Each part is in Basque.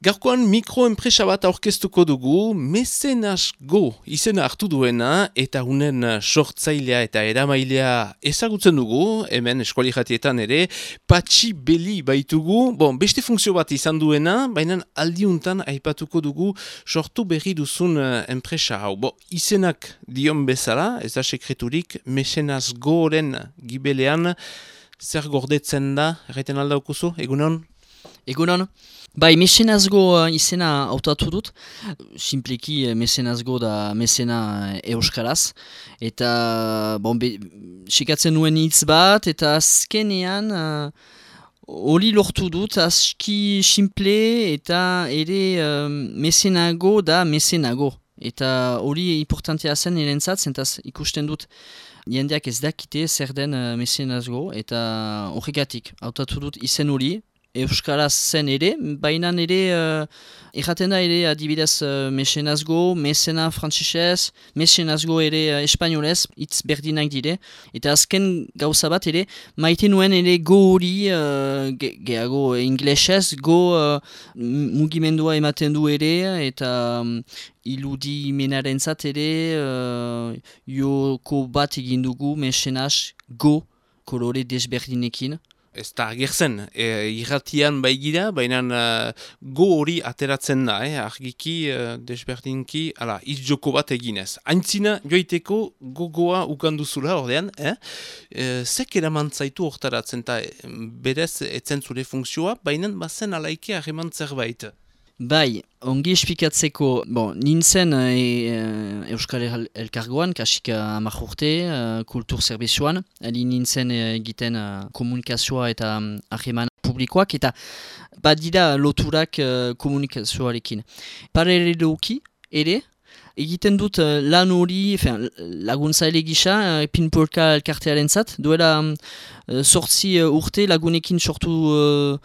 Gaurkoan mikroenpresa bat aurkeztuko dugu, Mecenas Go izena hartu duena eta unen sortzailea eta eramailea ezagutzen dugu, hemen eskuali jatietan ere, Patxi Beli baitugu, beste funtzio bat izan duena, baina aldiuntan aipatuko dugu sortu berri duzun enpresa hau. Izenak dion bezala, ez da sekreturik, Mecenas Goren gibelean, zer gordetzen da, erraiten aldaukuzu, egunon? Egunon. Bai, mecenazgo izena hautatu dut, simpleki mecenazgo da mecena euskaraz, eta sikatzen nuen hitz bat, eta azkenean hori lortu dut, aski simple eta ere mecenago da mecenago. Eta hori importantea zen erentzat, zentaz ikusten dut jendeak ez dakite zer den mecenazgo, eta horregatik hautatu dut izen hori, euskaraz zen ere, baina ere erraten da ere adibidez mecenazgo, mecena frantsesez, mecenazgo ere espainolez, hitz berdinak dire, eta azken gauza bat ere, maite nuen ere go hori, gehiago inglesez, go mugimendua ematen du ere, eta iludimenarentzat ere joko bat egin dugu mecenaz go kolore desberdinekin. Ez da agertzen, irratian baigira, baina go hori ateratzen da, argiki, desberdinki, hitz joko bat eginez. Aintzina joiteko gogoa ukanduzula ordean, zek eraman zaitu hortaratzen, eta berez etzen zure funkzioa, baina bazen alaike harreman zerbait. Bai, ongi esplikatzeko, nintzen Euskal Elkargoan, kasik 10 urte, kultur zerbitzuan, ali nintzen egiten komunikazioa eta harreman publikoak, eta badira loturak komunikazioarekin. Paraleloki ere, egiten dut lan hori, laguntzaile gisa, Pinpolka elkartearen zat, duela 8 urte lagunekin sortu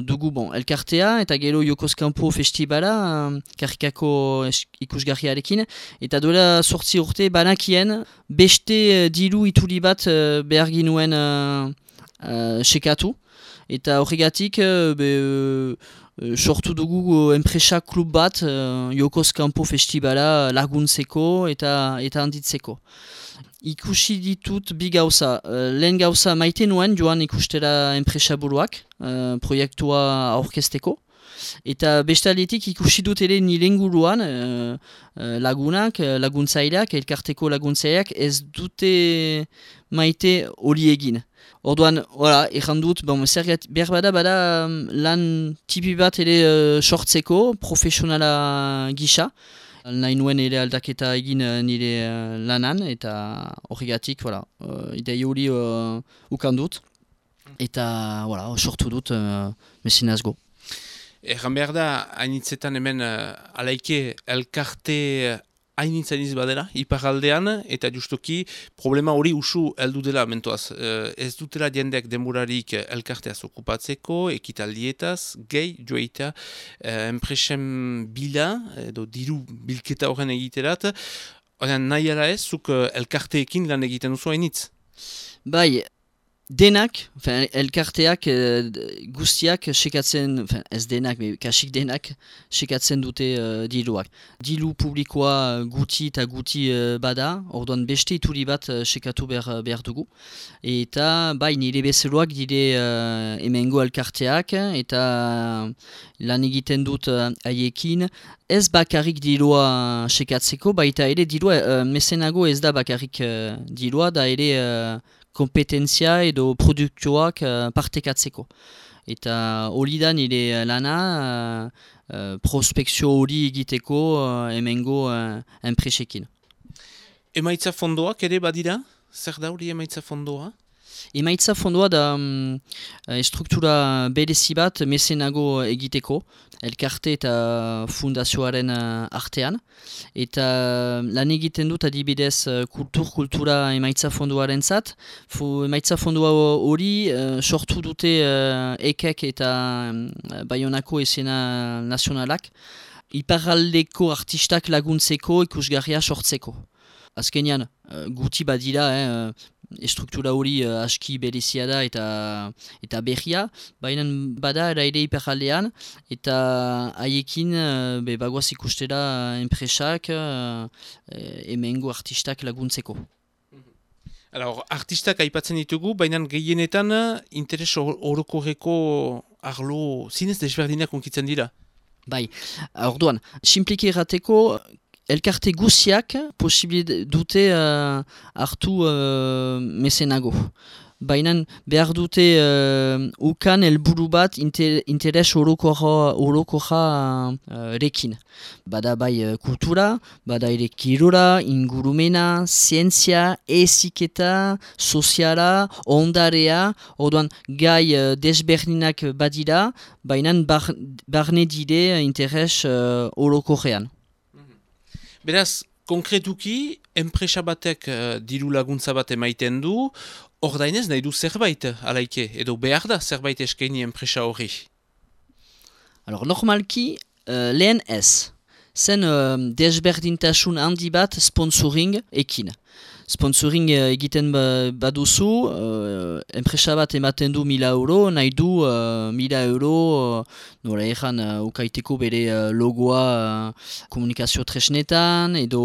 dugu elkartea, eta gero Jokozkampo festibala, karikako ikusgarriarekin, eta duela 8 urte banakien beste diru ituli bat behar ginuen sekatu, eta horregatik sortu dugu enpresa klub bat Jokozkampo festibala laguntzeko eta handitzeko. Ikusi ditut bi gauza. Lehen gauza maite nuen joan ikustera enpresa buruak, proiektua aurkezteko. Eta bestaldetik ikusi dut ere nire inguruan lagunak, laguntzaileak, elkarteko laguntzaileak ez dute maite hori egin. Orduan, erran dut, behar bada lan tipi bat ere sortzeko, profesionala gisa. Nahi nuen ere aldaketa egin nire lanan, eta horregatik, idei hori ukandut, eta sortu dut mecenazgo. Erran behar da, hainitzetan hemen alaike elkarte hainitzaniz badela, iparaldean, eta justuki problema hori usu heldu dela mentoaz. Ez dutela jendeak denborarik elkarteaz okupatzeko, ekitaldietaz, gehi joeita enpresen bila, edo diru bilketa horren egiterat. Nahi ala ez, zuk elkarteekin lan egiten duzu hainitz? Bai, denak, elkarteak guztiak sekatzen, ez denak, kasik denak sekatzen dute diluak. Dilu publikoa guti eta guti bada, orduan beste ituri bat sekatu behar dugu. Eta bai nire bezeroak dire hemengo elkarteak, eta lan egiten dut haiekin, ez bakarrik dilua sekatzeko, baita ere dilua, mecenago ez da bakarrik dilua, da ere kompetentzia edo produktioak partekatzeko. Eta hori da nire lana prospekzio hori egiteko hemengo enpresekin. Emaitza fondoak ere badira? Zer da hori emaitza fondoa? Emaitza fondoa da struktura berezi bat mecenago egiteko, elkarte eta fundazioaren artean. Eta lan egiten dut adibidez kultura emaitza fondoaren zat. Emaitza fondoa hori sortu dute ekek eta Baionako esena nazionalak. Iparraldeko artistak laguntzeko ikusgarria sortzeko. Azkenean, guti badira, estruktura hori aski berezia da eta berria, baina bada ere iparraldean, eta haiekin bagoaz ikustera enpresak hemengo artistak laguntzeko. Artistak aipatzen ditugu, baina gehienetan interes orokorreko arlo zinez desberdinak unkitzen dira. Bai, orduan, simpliki errateko, elkarte guziak posibil dute hartu mesenago. Baina behar dute ukan helburu bat interes orokorra rekin. Bada bai kultura, bada ere kirora, ingurumena, zientzia, eziketa, soziala, ondarea, orduan gai desberdinak badira, baina barne dire interes orokorrean. Beraz, konkretuki, enpresa batek diru laguntza bat emaiten du, ordainez nahi du zerbait, alaike, edo behar da zerbait eskaini enpresa horri? Normalki, lehen ez. Zen desberdintasun handi bat sponsoring ekin. Sponsoring egiten baduzu, enpresa bat ematen du 1.000 euro, nahi du 1.000 euro nola egan ukaiteko bere logoa komunikazio tresnetan, edo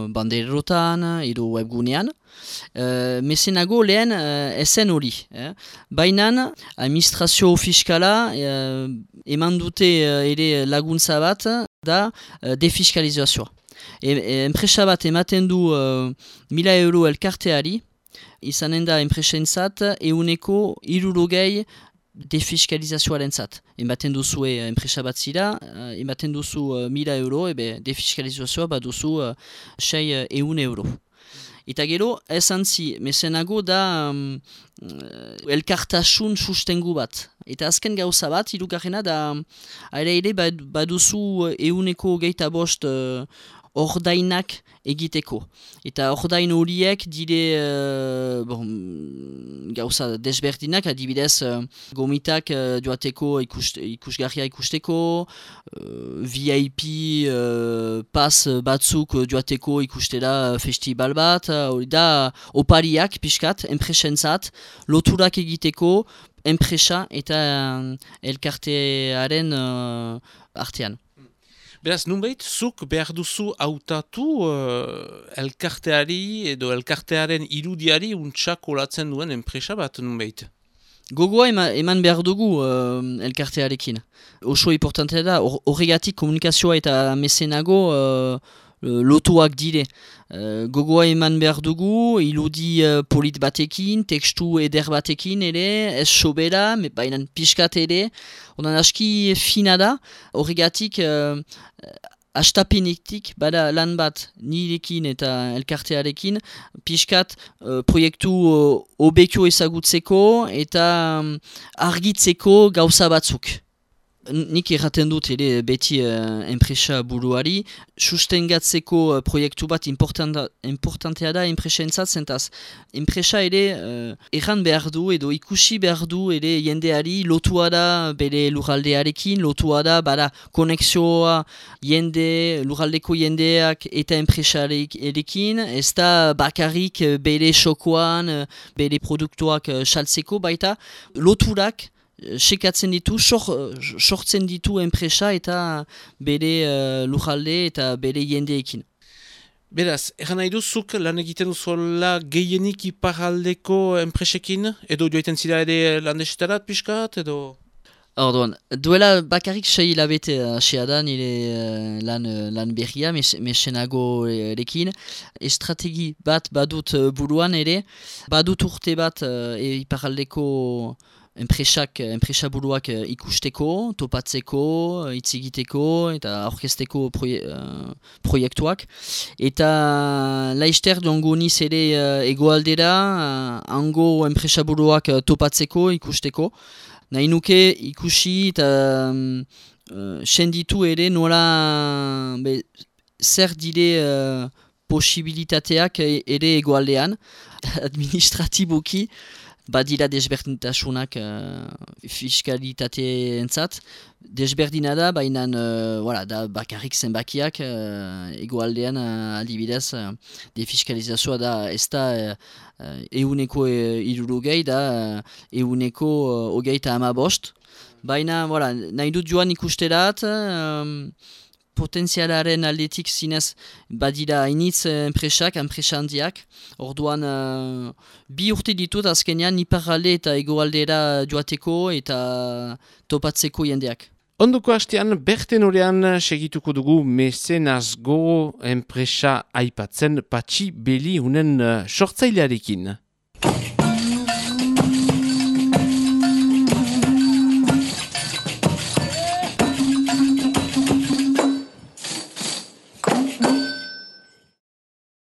banderotan, edo webgunean. Mesenago lehen ezen hori. Baina administrazio fiskala eman dute ere laguntza bat da defiskalizazioa. Enpresa bat ematen du 1.000 euro elkarteari, izanen da enpresentzat 60% defiskalizazioaren zat. Ematen duzue enpresa bat zira, ematen duzu 1.000 euro, defiskalizazioa bat duzu 600 euro. Eta gero, ezantzi, mesenago da elkartasun sustengu bat. Eta azken gauza bat, hirugarrena da, ere baduzu 125 ordainak egiteko. Eta ordain horiek dire gauza desberdinak, adibidez gomitak joateko ikusgarria ikusteko, VIP pas batzuk joateko ikustera festival bat, hori da opariak pixkat, enpresentzat, loturak egiteko, enpresa eta elkartearen artean. Beraz, nunbait, zuk behar duzu hautatu elkarteari edo elkartearen irudiari untsak olatzen duen enpresa bat, nunbait? Gogoa eman behar dugu elkartearekin. Oso importantea da, horregatik komunikazioa eta mesenago lotuak dire. Gogoa eman behar dugu, iludi polit batekin, tekstu eder batekin ere, ez sobera, baina pixkat ere, onan aski fina da, horregatik astapenetik bada lan bat nirekin eta elkartearekin, pixkat proiektu obekio ezagutzeko eta argitzeko gauza batzuk. Nik erraten dut ere beti enpresa buruari, sustengatzeko proiektu bat importantea da enpresentzat zentaz. Enpresa ere erran behar du edo ikusi behar du ere jendeari lotua da bere lurraldearekin, lotua da bada konexioa lurraldeko jendeak eta enpresarekin, ez da bakarrik bere xokoan, bere produktuak saltzeko baita, loturak sekatzen ditu, sortzen ditu enpresa eta bere lujalde eta bere jendeekin. Beraz, eran nahi duzuk lan egiten duzuela gehienik iparraldeko enpresekin? Edo joaiten zira ere landesetarat pixkat, edo? Orduan, duela bakarrik 6 hilabete hasea da nire lan berria, mesenago erekin. Estrategi bat badut buruan ere, badut urte bat iparraldeko enpresa buruak ikusteko, topatzeko, hitz egiteko eta aurkezteko proiektuak. Eta laister joango niz ere egoaldera, hango enpresa buruak topatzeko, ikusteko. Nahi nuke ikusi eta senditu ere nola zer dire posibilitateak ere egoaldean, administratiboki. badira desberdintasunak fiskalitateen desberdina da, baina da bakarrik zenbakiak egoaldean adibidez defiskalizazioa da ez da euneko 60 da euneko 35. Baina nahi dut joan ikusterat, potentzialaren aldetik zinez badira hainitz enpresa handiak. Orduan, 2 urte ditut azkenean iparralde eta egoaldera joateko eta topatzeko jendeak. Ondoko hastean, berten horean segituko dugu mecenazgo enpresa aipatzen Patxi Beli unen sortzailearekin.